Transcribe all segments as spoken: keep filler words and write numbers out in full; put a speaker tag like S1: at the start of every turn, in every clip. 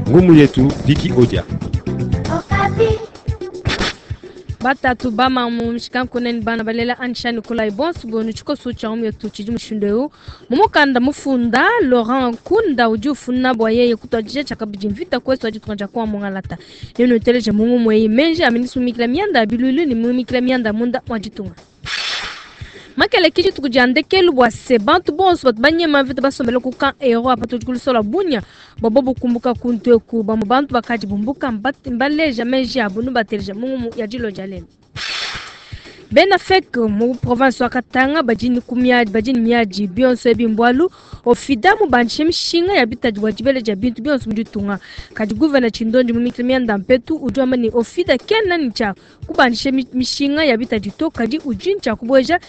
S1: Ngumu yetu Viki Odia.
S2: Batatu bamamu mishikankuneni bana balela anshani kula bonso bonu tshikoso tshia ngumu yetu tshidi mushindu eu mumukanda mufunda Laurent Nkunda udi ufuna bua yeye kutuadija tshiakabidi mvita kwesu adi tukaja kwa mungalata nenu uteleje mungu mweyi menji aminisumikila mianda bilulu ni mumikila mianda munda mwa makele kiji tukujandekelu bua se bantu bonso batu banyema mvita basombele ku camp ero apa tudi kulusola bunya bobo bukumbuka kuntu eku bamwe bantu bakaji bumbuka mbaleja menji abo nubateleja mungu ya dilo dia lelo bena fek mu province wa Katanga bajini kumiadi bajini miadi bionso ebimbwalu ofida mu banche mishinga ya bitadi wa dibele dia bintu bionso muditunga kadi gouverneur Chindondi mu mikili mianda mpetu udi wamba ni ofida kena ni tshia kubanishe mishinga ya bitadi to kadi udi ntshia kubweja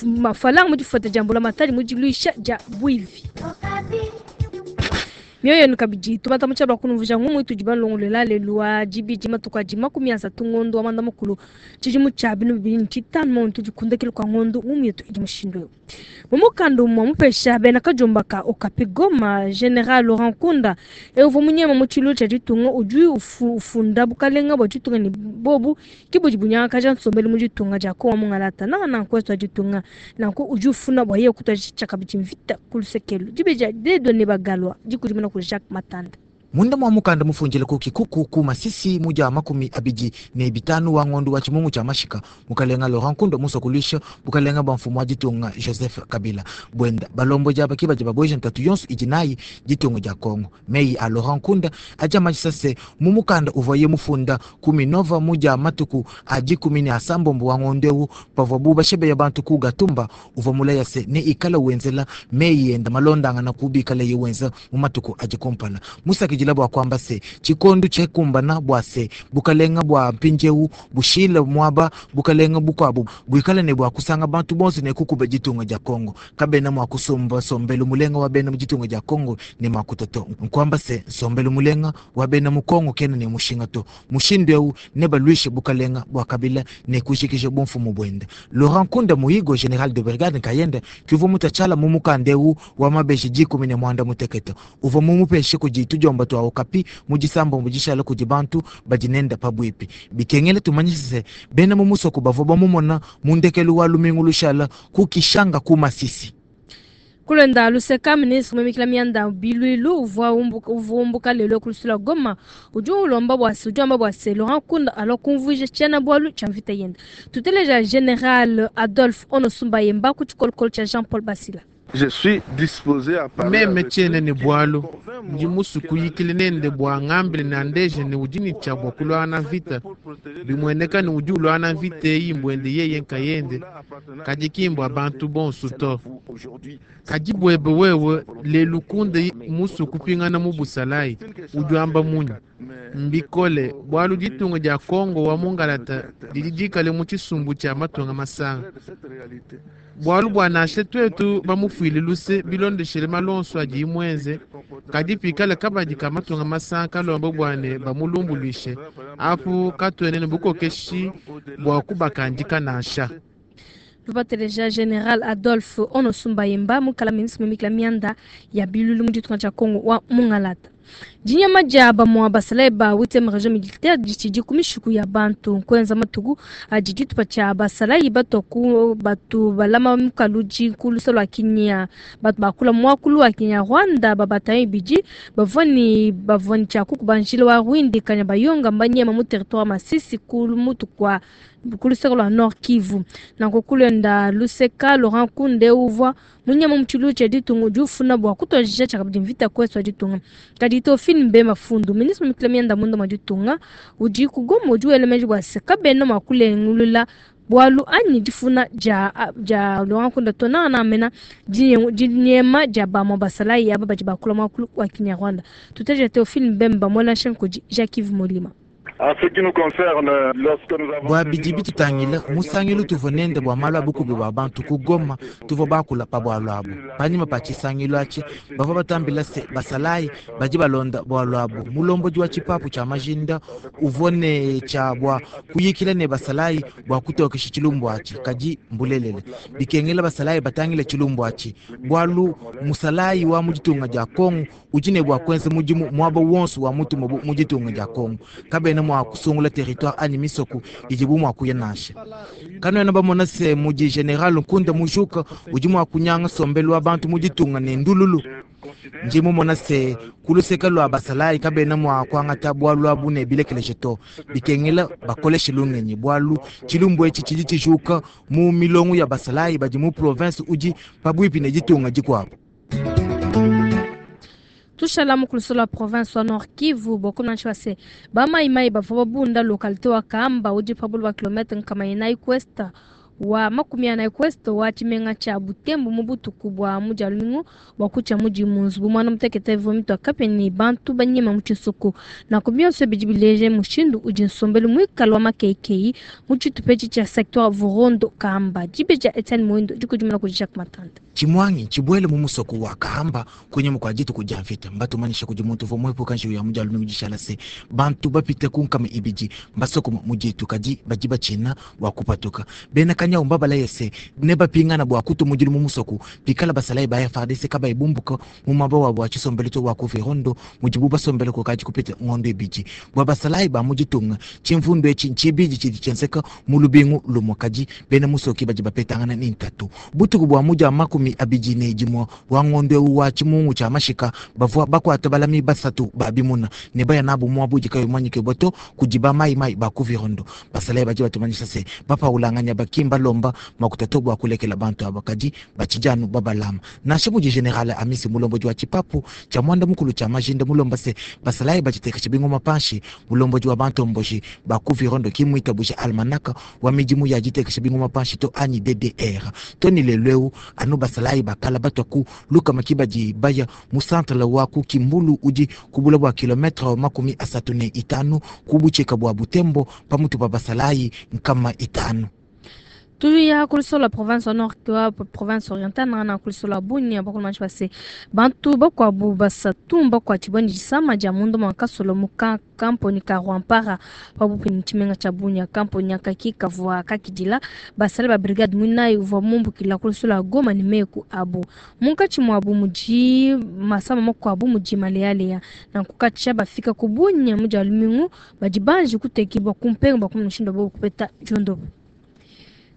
S2: mafalanga mu difuata dia mbula matadi mu diluisha dia bwivi mioyo nukabidi tumata mutshala kunumvuja ngumu itu dibalongolela lelu wa dibidi matuku adi makumi asatu ngondo wa manda mukulu tshidimu tshia binu bibili ne tshitanu muntu dikundekele kwa ngondo ngumu yetu idi mushindu eu mumukanda umwe mupesha bena kajomba ka Okapi Goma General Laurent Nkunda euva munyema mu tshilu tshia ditunga udi ufunda bukalenga bua ditunga ne bobu ke budi bunyangakaja nsombelu mu ditunga dia Kongo mungalata nanga nanku wetu ditunga nanku udi ufuna bua yeye kutua tshiakabidi mvita ku lusekelu dibeja dedone bagalwa dikudimuna ku Jacques Matanda.
S3: Munda mwa mukanda mufunjile ku kikuku ku masisi muja makumi abidi ne bitanu wa ngondo wa chimungu cha mashika mukalenga Laurent Nkunda musokulisha bukalenga bwa mfumu wa ditunga Joseph Kabila bwenda balombo jaba kiba jaba bweja ntatu yonso ijinayi ditunga ja Kongo meyi a Laurent Nkunda aja majisase mu mukanda uvoye mufunda kumi nova muja matuku aji kumi ne asambombo wa ngondo ewu pavwa buba shebe ya bantu ku Gatumba uva mulaya se ne ikala wenzela meyi enda malondanga na kubikala yewenza mu matuku aji kompala musaki jila bwa kwamba se chikondu chekumbana bwa se bukalenga bwa mpinjewu bushila mwaba bukalenga bukwabu buikala ne bwa kusanga bantu bonso ne kukuba ditunga ja Kongo kabena mwa kusomba sombelu mulenga wa bena muditunga ja Kongo ne makutoto nkwamba se sombelu mulenga wa bena mu Kongo kena ne mushinga to mushindu eu ne balwishe bukalenga bwa Kabila ne kushikisha bomfumu bwenda Laurent Nkunda muhigo general de brigade kayenda kivu mutachala mumukandeu wa mabeshi jikumi ne mwanda muteketo uvo mumupeshe kujitu jomba twa Okapi mujisambo mujishala kuji bantu bajinenda pabwipi bikengele tumanyise bena mumusoko bavo bamumona mundekelu wa lumingu lushala kukishanga kumasisi
S2: kulenda luseka ministre mwemikila mianda bilwilu uvua umbuka uvumbuka lelo kulusula Goma udi ulomba bua se udi wamba bua se Laurent Nkunda alo kumvuija tshiena bualu tshia mvita yenda tuteleja General Adolphe Onosumba Yemba ku tshikolokolo tshia Jean Paul Basila.
S4: Je suis disposé à parler
S5: meme tshiena ne bualu ndi musuku yikile nende bua ngambile na ndeje ne udi ne tshia bua kulwana mvita bimueneka ne udi ulwana mvita eyi mbwende yeye nkayende kadi kimbwa bantu bonso to kadi bwebe wewe lelu kunde musuku pingana mu busalayi udi wamba munyi mbikole bualu ditunga dia Kongo wa mungalata didi dikale mu tshisumbu tshia matunga masanga bualu bua nashe twetu bamufuile luse bilondeshele malonso adi imwenze kadi pikale kabadi ka matunga masanga kalomba bwane bamulumbuluishe apu katwene bukokeshi bua kubakandika nansha.
S2: Tubateleja General Adolphe Onosumba Yemba mukala ministre mwemikila mianda ya bilulu mu ditunga dia Kongo wa mungalata. Dinyama dia bamwa basalayi ba huitième région militaire ditshidi ku mishiku ya bantu nkuenza matuku adi ditupa tshia basalayi batoku batu balama mukaludi ku lusa lua Kinya batu bakula muakulu wa Kinyarwanda babatayo ibidi bavua ni bavua ni tshia kukuba njila wa Rwindi kanya bayonga mbanyema mu territoire Masisi ku mutu kwa ku luseka lua Nord Kivu nanku kulenda luseka Laurent Nkunda uvua munyama mutshilu tshia ditunga udi ufuna bua kutuadija tshiakabidi mvita kwesu wa ditunga kadi Théophile Mbemba Fundu ministre mikila mianda munda mwa ditunga udi ku Goma udi wela meji bua se kabena mua kulengulula bualu anyi difuna dia dia Laurent Nkunda to nanga mena dinyema dia bamwa basalayi aba badi bakula muakulu wa Kinyarwanda tuteja Théophile Mbemba mwela kudi Jacques Yves Molima.
S3: Bua bidi bitutangila musangilu tuvua nende bua malu a bukubi bua bantu ku Goma, tuvua bakula pa bualu abu. Panyima pa tshisangilu atshi bavua batambila se basalayi badi balonda bualu abu. Mulombodi wa tshipapu tshia majinda uvua ne tshia bua kuyikila ne basalayi bua kutokesha tshilumbu atshi, kadi mbulelele bikengela basalayi batangile tshilumbu atshi, bualu musalayi wa mu ditunga dia Kongo udi ne bua kuenza mudimu muaba wonso wa mutumu mu ditunga dia Kongo. Kabena mua kusungula territoire anyi misoko idibu mua kuya nansha. Kanuena bamona se mudi General Nkunda Mujuka udi mua kunyanga sombelu wa bantu mu ditunga ne ndululu. Ndi mumona se kuluseka lua basalayi kabena mua kuangata bualu abu ne bilekeleje to, bikengela bakoleshe lungenyi, bualu tshilumbu etshi tshidi tshijuka mu milongo ya basalayi badi mu province udi pabuipi ne ditunga dikuabu.
S2: Tushala mukuluso la province wa Nord Kivu bokona nchwase ba mai mai bavua babunda localité wa Kamba udi pabulu ba kilometre nkama inayi kwesta wa makumi anayi kwesta wa tshimenga tshia Butembo mu butuku bua mudia lumingu bua kutshia mudi mu nzubu mwana mutekete ivua mitu akape ne bantu banyema mu tshisoko. Nanku bionso bidi bileje mushindu udi nsombelu muikale wa makeikeyi mu tshitupa etshi tshia secteur Vurondo Kamba. Dibe dia Etienne Mwindo dikudimuna kudi Jacques Matanda.
S3: Chimwangi chibwele mu musoko wa Kahamba kwenye mukwa dituku dia mvita mbatumanyisha kudi muntu uvua muepuka njiwu ya mudia lumingu dishala se bantu bapite ku nkama ibidi mbasoko mu ditu kadi badi batshina bua kupatuka. Bena kanyau mbabalaye se ne bapingana bua kutu mudilu mu musoko pikala basalayi ba F A R D C kabayi bumbuka mu muaba wabu wa tshisombelu to wa ku Virondo mudibu basombele kukadi kupita ngondo ibidi. Bua basalayi ba mu ditunga tshimvundu etshi ntshibidi tshidi tshienzeka mu lubingu lumue kadi bena musoki badi bapetangana ne ntatu. Butuku bua mudia makumi abidi ne dimue wa ngondo eu wa tshimungu tshia mashika bavua bakuata balami basatu ba bimuna ne baya nabu muabu udi kayi mumanyike to kudi ba mai mai ba ku Virondo. Basalayi badi batumanyisha se bapaulanganya bakimba lomba makuta to bua kulekela bantu aba kadi batshijanu babalama. Nansha mudi General Amisi mulombodi wa tshipapu tshia mwanda mukulu tshia majinda mulomba se basalayi batshitekesha bingoma panshi. Mulombodi wa bantomboji ba ku Virondo kimwitabusha almanaka wa midimu ya ditekesha bingoma panshi to anyi D D R to ni lelu eu anu basalayi bakala batwa ku lukama kibadi baya mu centre wa ku Kimbulu udi kubula bua kilometre makumi asatu ne itanu kubucheka bua Butembo pamutu pa basalayi nkama itanu.
S2: Tuya kuliso la province nord wa province orientale na kuliso la Bunia bakolo manchi bantu bakwabu basatu bakwa tshiboni disama dia mundu mwakasolo muka kamponi ka Rwampara pabupi ni tshimenga tshia Bunia. Kamponi akaki kavua kakidila basale ba brigade muinayi uvua mumbukila kuliso la Goma ni meku abu munkatshi mwabu mudi masama makuabu mudi malealeya na kukatsha bafika ku Bunia mudi alumingu badi banji kutekibwa kumpenga bakumushinda bo kupeta jondobo.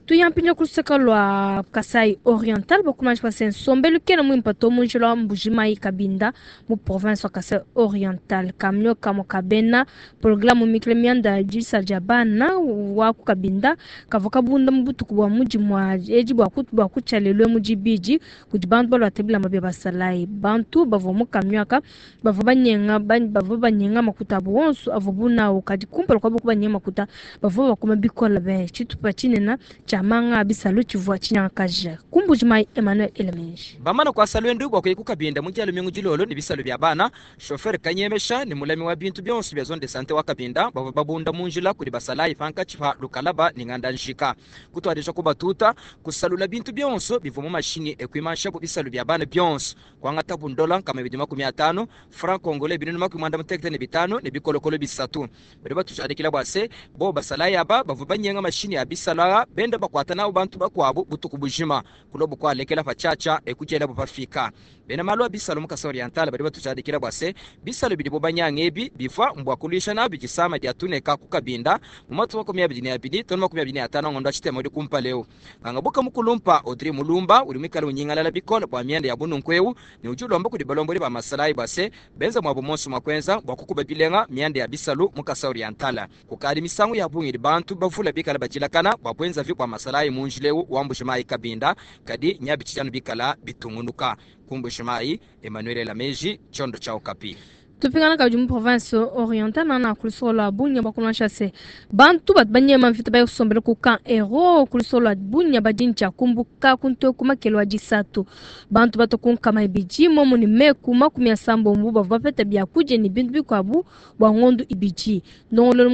S2: Tuyampinja kuluseka lwa Kasai Oriental bakumanji pase nsombelu kena mwimpa to munjila wa Mbujimayi Kabinda mu province wa Kasai Oriental. Kamio kamo kabena programu mikle mianda jisa jabana wa ku Kabinda kavua kabunda mu butuku bua mudi mwa eji bua kutu bua kutshalelwe mu dibidi kudi bantu balua tebila mabia basalayi. Bantu bavua mu kamio aka bavua banyenga bavua banyenga makuta abu wonso avua bunawo kadi kumpala kwa boku banyenga makuta bavua bakoma bikola be tshitupa tshinena tshia manga bisalu tshivua tshinyangakaja. Kumbujimayi Emmanuel Elemenji.
S1: Bamana kwa salwendu bwa kuya Kabinda mu kyalo mingu dilolo ne bisalu bya bana chauffeur kanyemesha ni mulami wa bintu byonso bya zone de santé wa Kabinda bava babunda munjila kuli basalayi panka chipa lukalaba ni nganda njika kutwadisha kubatuta kusalula bintu byonso biva mu mashini ekwimansha bu bisalu bya bana byonso kwangata bundola kama bidima makumi atano franc congolais binunu makumi mwanda mutekete ne bitano ne bikolokolo bisatu bari batujadikila bwase bo basalayi aba bava banyenga mashini ya bisala benda bakwata nabo bantu bakwabo butuku bujima kulobo kwalekela pachacha ekujela bupafika bena malwa bisalo mukasa oriental bari batujadikila bwase bisalo bidi bobanyanga ebi bifa mbwa kulisha nabi gisama dia tuneka kukabinda mu matu makumi abiri ne abiri tono makumi abiri ne atano ngondo achitema uri kumpa leo bangabuka mukulumpa Audrey Mulumba uri mwikala unyingalala bikola bwa myenda ya bununkweu ni ujulomba kudi balomboli ba masalayi bwase benza mwabo monso makwenza bwa kukuba bilenga myenda ya bisalo mukasa oriental kukali misango ya bungiri bantu bavula bikala bajilakana bwa bwenza vi bwa masalayi munjileu wa Mbujimayi Kabinda kadi nyabichijano bikala bitungunuka kumbujimayi Emmanuel Lameji chondo cha Okapi.
S2: Tupingana kabidi mu province orientale na ku luseke lua Bunia bakulonsha se bantu batu banyema mvita bayosombela ku camp Hero ku luseke lua Bunia badi ntshia kumbuka kuntu ku makelo a disatu. Bantu bato ku nkama ibidi momu ni meku makumi asambombo bavua bapeta biakudia ni bintu bikuabu bua ngondu ibidi. Ndongololo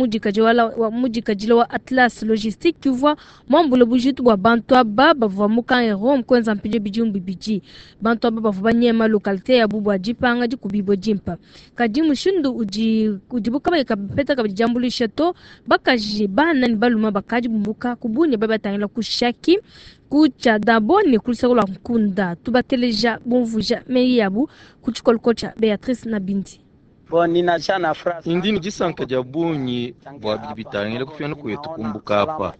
S2: mudikadile wa Atlas Logistique uvua muambule bujitu bua bantu aba bavua mu camp Hero mukuenza mpindieu bidimu bibidi. Bantu aba bavua banyema localité yabu bua dipanga dikubibua dimpa. Kadi mushindu udi udibu kabayi kapeta kabidi diambuluisha to, bakaji bana ni baluma bakadi bumbuka ku Bunia babatangila ku Shaki ku Tshadabo ne ku luseke lua Nkunda. Tubateleja bumvuja meyi yabu ku tshikoloko tshia Beatrice Nabindi.
S6: Ndi ni disanka dia bungi bua bidi bitangila kupingana kwetu kumbuka apa.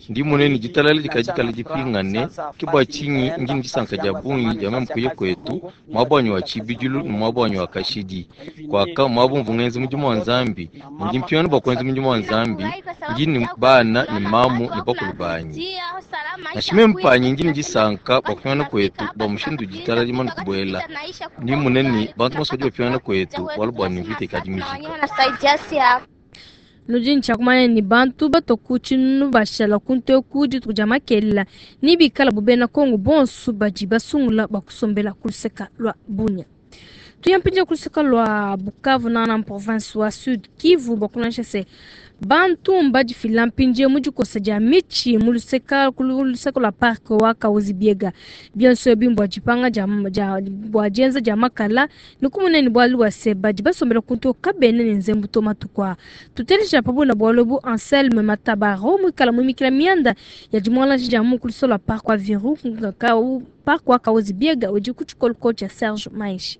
S6: Ndi munene ditalala dikadikala dipingane, ke bua tshinyi ndi ni disanka dia bungi dia meme kuya kwetu, muaba wa tshibidilu ne muaba wa kashidi. Kwaka muaba mvua ngenza mudimu wa Nzambi, ndi mpingana bua kuenza mudimu wa Nzambi, ndi ni bana ni mamu ni bakulu banyi. Nansha meme panyi ndi ni disanka bua kupingana kwetu bua mushindu ditalala dimane kubuela. Ndi munene bantu bonso badi bapingana kwetu bualu bua ni mvita ikadi mijika.
S2: Nudi ntshiakumanya ni bantu batoku tshinu bashala kuntu dituku dia makelela ni bikala bubena Kongo bonso badi basungula bakusombela ku luseka lua Bunia. Tuyampindia ku luseka lua Bukavu na na province wa Sud Kivu bakunansha se bantu mbadifila mpindieu mu dikosa dia mitshi mu luseka ku luseka lua parc wa Kahuzi Biega. Bionso ebi mbua dipanga dia, dia, bua dienza dia makala ni kumunene bualu bua se badi basombela kuntu kabene ne nzembu to matuku aa. Tuteleja pabuna bualu ebu Anselme Matabaro muikala muimikila mianda ya dimuangaji dia mu ku luseka lua parc wa Virunga parc wa Kahuzi Biega udi ku tshikoloko tshia Serge Maishi.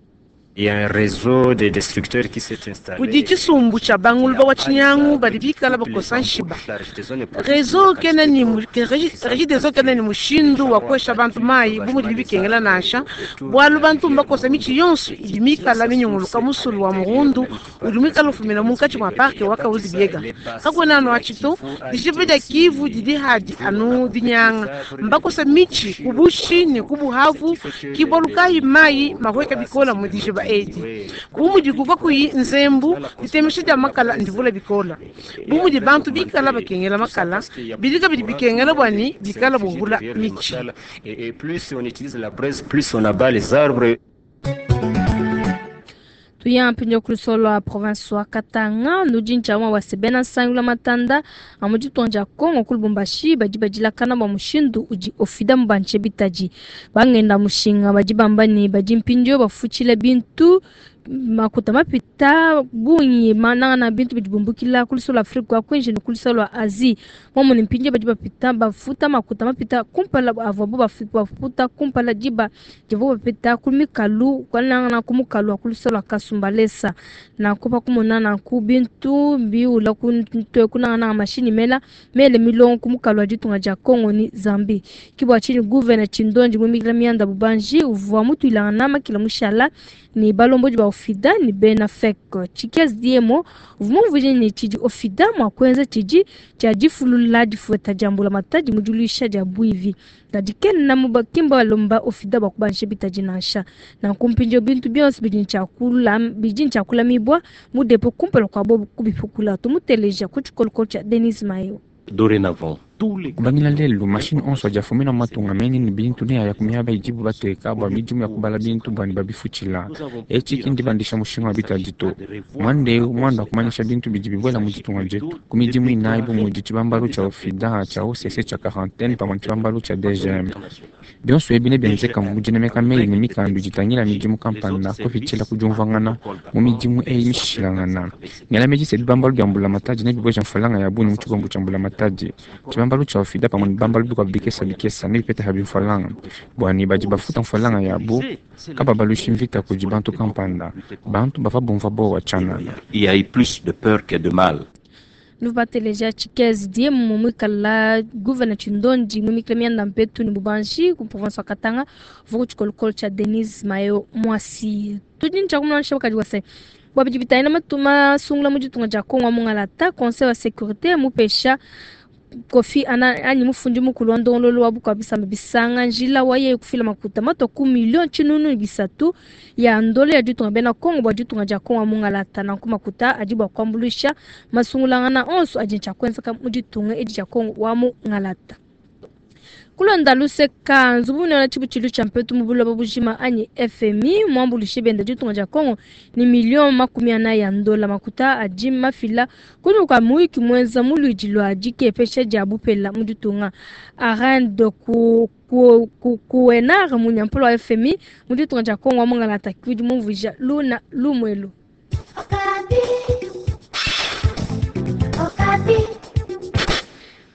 S7: Il y a un réseau de destructeurs qui s'est installé.
S8: Kudi tshisumbu tshia banguluba wa tshinyangu badi bikala bakosa nshiba. Réseau kena ni Regideso kena ni mushindu wa kwesha bantu mayi bu mudi bikengela nansha bualu bantu mbakosa mitshi yonso idi mikala minyunguluka musulu wa murundu udi muikala ufumina munkatshi mua parke wa Kahuzi Biega. Kakuena anu atshi to dishipa dia Kivu didi hadi anu dinyanga mbakosa mitshi kubushi ne kubuhavu kibualu kayi mayi mahweka bikola mu dishipa edi. Bu mudi kuva kuyi nzembu ditemesha dia makala ndivula bikola. Bu mudi bantu bikala bakengela makala bidika bidi bikengela bwani bikala bungula mitshi.
S7: Et plus on utilise la braise, plus on abat les arbres.
S2: Tuya mpinjo ku lusolo lua province wa Katanga nudi ntshia wa sebena sangula matanda amu ditonja Kongo ku Lubumbashi badi badilakana bua mushindu udi ofida mubantshe bitadi. Bangenda mushinga badi bamba ni badi mpinjo bafutshila bintu makuta mapita bungi mananga na bintu bidi bumbukila ku lusolo lua Afrika wa kwinji ne ku lusolo lua Asie. Momu ni mpinjo badi bapita bafuta makuta mapita kumpala avwabu bafuta kumpala diba divu bapita ku mikalu kwananga na ku mukalu wa ku lusolo lua Kasumbalesa. Na kupa kumona na ku bintu biula ku ntwe kunanga na mashini mela mele milongo ku mukalu wa ditunga dia Kongo ni Zambie. Kibwa chini gouverneur Chindonji mumikila mianda bubanji uvwa mutu ilanga na makila mushala ni balombo ba ofida ni bena fek chikez diemo vumuvuje ni chidi ofida mwa kwenza chidi cha difulula difueta jambula matadi mujulisha ja buivi tadiken na mubakimba lomba ofida bakubanshe bitaji nansha na kumpinjo bintu byonse bidin chakula bidin chakula mibwa mudepo kumpela kwa bobu kubifukula tumuteleja kuchikoloko cha Denis Mayo.
S7: Dorénavant
S9: kubangila lelu mashini onso ajafumina matunga meni ni bintu ne aya kumiaba ijibu bateka bua midimu ya kubala bintu bwani babifutshila. Etshi kindi bandisha mushinga wa bitadi to mwandeu mwanda kumanyisha bintu bidi bibuela mu ditunga dietu ku midimu inayi bu mudi tshibambalu tshia ofida tshia O C C tshia quarantaine pamue tshibambalu tshia D G M. Bionso ebi nebienzeka mu dinemeka meyi ne mikandu ditangila midimu kampanda kupitshila ku diumvuangana mu midimu eyi mishilangana. Ngela meji se bibambalu bia mbulamatadi nebibueja mfalanga ya bungi mu tshikombo tshia mbulamatadi. Tshibambalu tshia ofida pamue ne bibambalu bikuabu bikesa bikesa nebipeta habi mfalanga bwani badi bafuta mfalanga yabu kaba balushi mvita kudi bantu kampanda bantu bava bumva bowa tshanana.
S7: Il y a eu plus de peur que de mal.
S2: Nubateleja Chikez Diemu mwikala gouverneur Chindonji mwimikila mianda mpetu ni bubanji ku province wa Katanga vuku tshikolokolo tsha Denise Mayo Mwasi. Tudi ntshakumulanisha bakadi wase bwabidi bitaina matuma sungula mu ditunga dia Kongo mungalata conseil wa sécurité mupesha Kofi Annan anyi mufundi mukulu wa ndongololo wa bukua bisamba bisanga njila wa yeye kufila makuta matua ku million tshinunu ne bisatu ya ndolo ya ditunga bena Kongo bua ditunga dia Kongo mungalata. Nanku makuta adi bua kuambuluisha masungulangana onso adi ntshia kuenzeka mu ditunga edi dia Kongo wa mungalata. Kulonda luseka nzubu munene tshibutshilu tshia mpetu mu buloba bujima anyi F M I muambuluishe benda ditunga dia Kongo ni million makumi anayi ya ndola makuta adi mafila kunyima kua muyuki muenza mu luidi lua dikepesha dia bupela mu ditunga. Arend ku, ku, ku, kuenar munyampolo wa F M I mu ditunga dia Kongo wa mungalata kudi mumvuija luna lumwelu.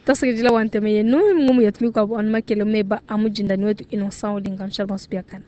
S2: Tasekejila wa nteme yenu ngumu yatumika kwa anu makele meba amujinda ni wetu Innocent Olinga Nshalba Nsubiakana.